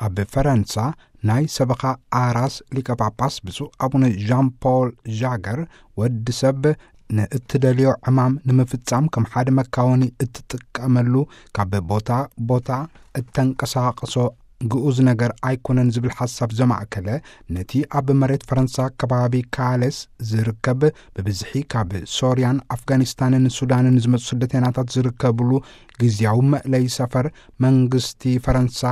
ኣብ ፈረንሳ ናይ ሰበኻ ኣራስ ሊቀ ጳጳስ ብፁዕ ኣቡነ ዣን ፖል ዣገር፣ ወዲ ሰብ ንእትደልዮ ዕማም ንምፍጻም ከም ሓደ መካወኒ እትጥቀመሉ፣ ካብ ቦታ ቦታ እተንቀሳቕሶ ግኡዝ ነገር ኣይኮነን ዝብል ሓሳብ ዘማእከለ፣ ነቲ ኣብ መሬት ፈረንሳ ከባቢ ካሌስ ዝርከብ፣ ብብዝሒ ካብ ሶርያን ኣፍጋኒስታንን ሱዳንን ዝመጹ ስደተናታት ዝርከብሉ ግዝያዊ መእለይ ሰፈር፣ መንግስቲ ፈረንሳ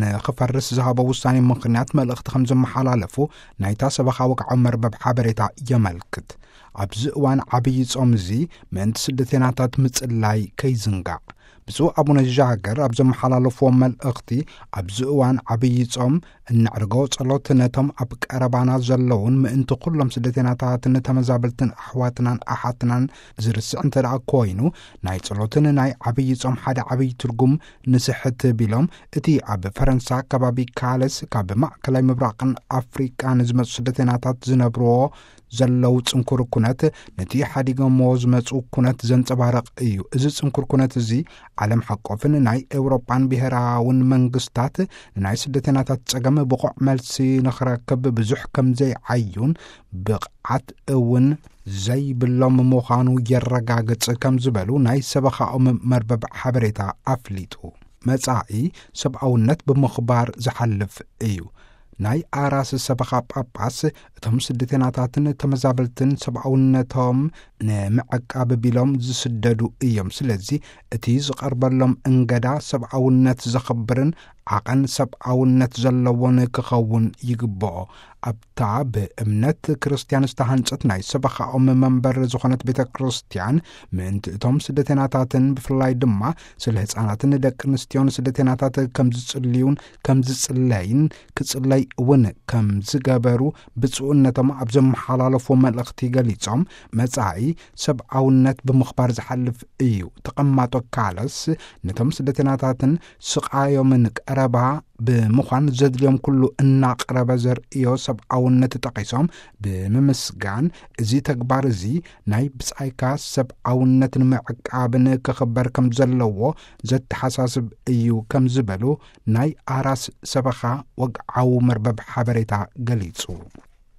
ንኽፈርስ ዝሃቦ ውሳኔ ምኽንያት መልእኽቲ ከም ዘመሓላለፉ ናይታ ሰበኻ ወግዓዊ መርበብ ሓበሬታ የመልክት። ኣብዚ እዋን ዓብዪ ጾም እዚ ምእንቲ ስደተናታት ምጽላይ ከይዝንጋዕ፣ ብፁዕ ኣቡነ ዣገር ኣብ ዘመሓላለፍዎ መልእኽቲ፣ ኣብዚ እዋን ዓብዪ ጾም እነዕርጎ ጸሎት ነቶም ኣብ ቀረባና ዘለውን ምእንቲ ኩሎም ስደተናታትን ተመዛበልትን ኣሕዋትናን ኣሓትናን ዝርስዕ እንተ ደኣ ኮይኑ፣ ናይ ጸሎትን ናይ ዓብዪ ጾም ሓደ ዓብዪ ትርጉም ንስሕት ቢሎም፣ እቲ ኣብ ፈረንሳ ከባቢ ካለስ ካብ ማእከላይ ምብራቕን ኣፍሪቃን ዝመጹ ስደተናታት ዝነብርዎ ዘለዉ ጽንኩር ኩነት፣ ነቲ ሓዲጎምዎ ዝመጹ ኩነት ዘንጸባርቕ እዩ። እዚ ጽንኩር ኩነት እዚ ዓለም ሓቆፍን ናይ ኤውሮጳን ብሔራውን መንግስታት ንናይ ስደተናታት ጸገም ብቑዕ መልሲ ንኽረክብ ብዙሕ ከም ዘይዓዩን ብቕዓት እውን ዘይብሎም ምዃኑ የረጋግጽ ከም ዝበሉ ናይ ሰበኻኦም መርበብ ሓበሬታ ኣፍሊጡ። መጻኢ ሰብኣውነት ብምኽባር ዝሓልፍ እዩ። ናይ ኣራስ ሰበኻ ጳጳስ እቶም ስደተናታትን ተመዛበልትን ሰብኣውነቶም ንምዕቃብ ቢሎም ዝስደዱ እዮም። ስለዚ እቲ ዝቐርበሎም እንገዳ ሰብኣውነት ዘኽብርን ዓቐን ሰብኣውነት ዘለዎን ክኸውን ይግብኦ። ኣብታ ብእምነት ክርስትያን ዝተሃንጸት ናይ ሰበኻኦም መንበር ዝኾነት ቤተ ክርስትያን፣ ምእንቲ እቶም ስደተናታትን ብፍላይ ድማ ስለ ህፃናትን ደቂ ኣንስትዮን ስደተናታት ከም ዝጽልዩን ከም ዝጽለይን ክጽለይ እውን ከም ዝገበሩ ብፁዕነቶም ኣብ ዘመሓላለፍዎ መልእኽቲ ገሊጾም፣ መጻኢ ሰብኣውነት ብምኽባር ዝሓልፍ እዩ። ተቐማጦ ካለስ ነቶም ስደተናታትን ስቓዮምን ቀረባ ብምዃን ዘድልዮም ኩሉ እናቕረበ ዘርእዮ ሰብኣውነት ጠቒሶም ብምምስጋን፣ እዚ ተግባር እዚ ናይ ብጻይካ ሰብኣውነት ንምዕቃብን ክኽበር ከም ዘለዎ ዘተሓሳስብ እዩ ከም ዝበሉ ናይ ኣራስ ሰበኻ ወግዓዊ መርበብ ሓበሬታ ገሊጹ።